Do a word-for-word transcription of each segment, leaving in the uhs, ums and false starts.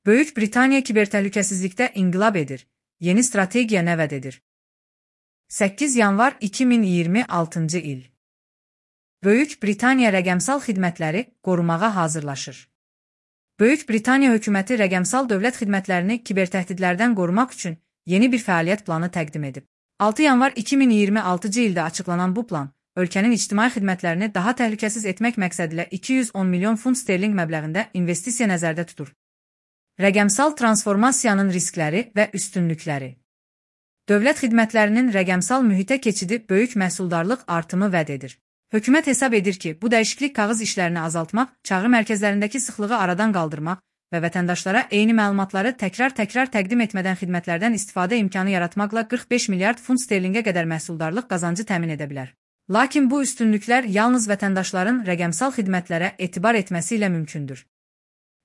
Böyük Britaniya kibertəhlükəsizlikdə inqilab edir, yeni strategiya nəvəd edir. səkkiz yanvar iki min iyirmi altıncı il. Böyük Britaniya rəqəmsal xidmətləri qorumağa hazırlaşır. Böyük Britaniya hökuməti rəqəmsal dövlət xidmətlərini kibertəhdidlərdən qorumaq üçün yeni bir fəaliyyət planı təqdim edib. altı yanvar iki min iyirmi altıncı ildə açıqlanan bu plan, ölkənin ictimai xidmətlərini daha təhlükəsiz etmək məqsədilə iki yüz on milyon funt sterling məbləğində investisiya nəzərdə tutur. Rəqəmsal transformasiyanın riskləri və üstünlükləri. Dövlət xidmətlərinin rəqəmsal mühitə keçidi böyük məhsuldarlıq artımı vəd edir. Hökumət hesab edir ki, bu dəyişiklik kağız işlərini azaltmaq, çağrı mərkəzlərindəki sıxlığı aradan qaldırmaq və vətəndaşlara eyni məlumatları təkrar-təkrar təqdim etmədən xidmətlərdən istifadə imkanı yaratmaqla qırx beş milyard funt sterlingə qədər məhsuldarlıq qazancı təmin edə bilər. Lakin bu üstünlüklər yalnız vətəndaşların rəqəmsal xidmətlərə etibar etməsi ilə mümkündür.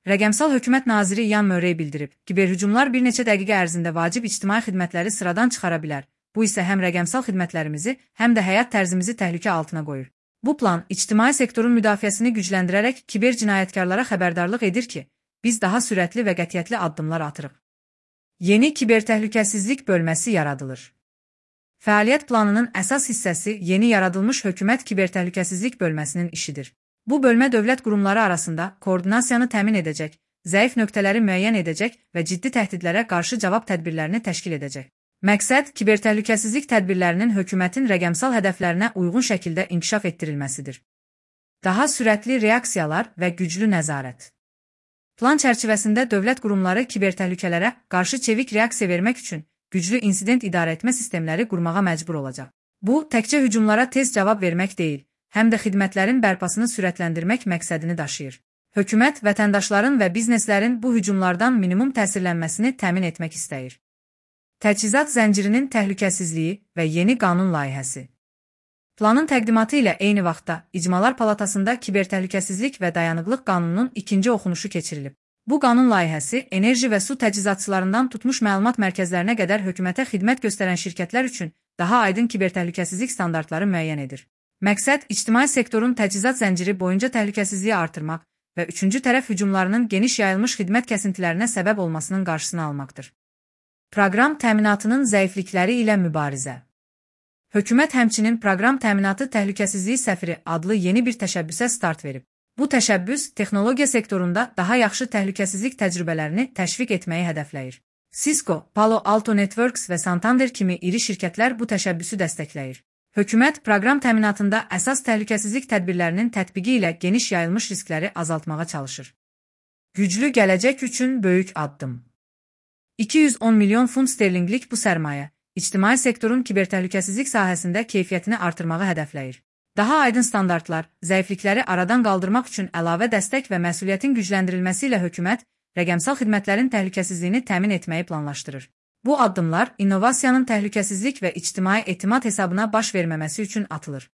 Rəqəmsal hökumət naziri Ian Murray bildirib, kiberhücumlar bir neçə dəqiqə ərzində vacib ictimai xidmətləri sıradan çıxara bilər. Bu isə həm rəqəmsal xidmətlərimizi, həm də həyat tərzimizi təhlükə altına qoyur. Bu plan ictimai sektorun müdafiəsini gücləndirərək kiber cinayətkarlara xəbərdarlıq edir ki, biz daha sürətli və qətiyyətli addımlar atırıq. Yeni kibertəhlükəsizlik bölməsi yaradılır. Fəaliyyət planının əsas hissəsi yeni yaradılmış hökumət kibertəhlükəsizlik bölməsinin işidir. Bu bölmə dövlət qurumları arasında koordinasiyanı təmin edəcək, zəif nöqtələri müəyyən edəcək və ciddi təhdidlərə qarşı cavab tədbirlərini təşkil edəcək. Məqsəd kibertəhlükəsizlik tədbirlərinin hökumətin rəqəmsal hədəflərinə uyğun şəkildə inkişaf etdirilməsidir. Daha sürətli reaksiyalar və güclü nəzarət. Plan çərçivəsində dövlət qurumları kibertəhlükələrə qarşı çevik reaksiya vermək üçün güclü insident idarəetmə sistemləri qurmağa məcbur olacaq. Bu, təkcə hücumlara tez cavab vermək deyil, həm də xidmətlərin bərpasını sürətləndirmək məqsədini daşıyır. Hökumət, vətəndaşların və bizneslərin bu hücumlardan minimum təsirlənməsini təmin etmək istəyir. Təchizat zəncirinin təhlükəsizliyi və yeni qanun layihəsi. Planın təqdimatı ilə eyni vaxtda İcmalar Palatasında kibertəhlükəsizlik və dayanıqlıq qanununun ikinci oxunuşu keçirilib. Bu qanun layihəsi enerji və su təchizatçılarından tutmuş məlumat mərkəzlərinə qədər hökumətə xidmət göstərən şirkətlər üçün daha aydın kibertəhlükəsizlik standartları müəyyən edir. Məqsəd ictimai sektorun təchizat zənciri boyunca təhlükəsizliyi artırmaq və üçüncü tərəf hücumlarının geniş yayılmış xidmət kəsintilərinə səbəb olmasının qarşısını almaqdır. Proqram təminatının zəiflikləri ilə mübarizə. Hökumət həmçinin proqram təminatı təhlükəsizliyi səfiri adlı yeni bir təşəbbüsə start verib. Bu təşəbbüs texnologiya sektorunda daha yaxşı təhlükəsizlik təcrübələrini təşviq etməyi hədəfləyir. Cisco, Palo Alto Networks və Santander kimi iri şirkətlər bu təşəbbüsü dəstəkləyir. Hökumət proqram təminatında əsas təhlükəsizlik tədbirlərinin tətbiqi ilə geniş yayılmış riskləri azaltmağa çalışır. Güclü gələcək üçün böyük addım. iki yüz on milyon funt sterlinglik bu sərmayə, ictimai sektorun kibertəhlükəsizlik sahəsində keyfiyyətini artırmağı hədəfləyir. Daha aydın standartlar, zəiflikləri aradan qaldırmaq üçün əlavə dəstək və məsuliyyətin gücləndirilməsi ilə hökumət, rəqəmsal xidmətlərin təhlükəsizliyini təmin etməyi planlaşdırır. Bu addımlar, innovasiyanın təhlükəsizlik və ictimai etimad hesabına baş verməməsi üçün atılır.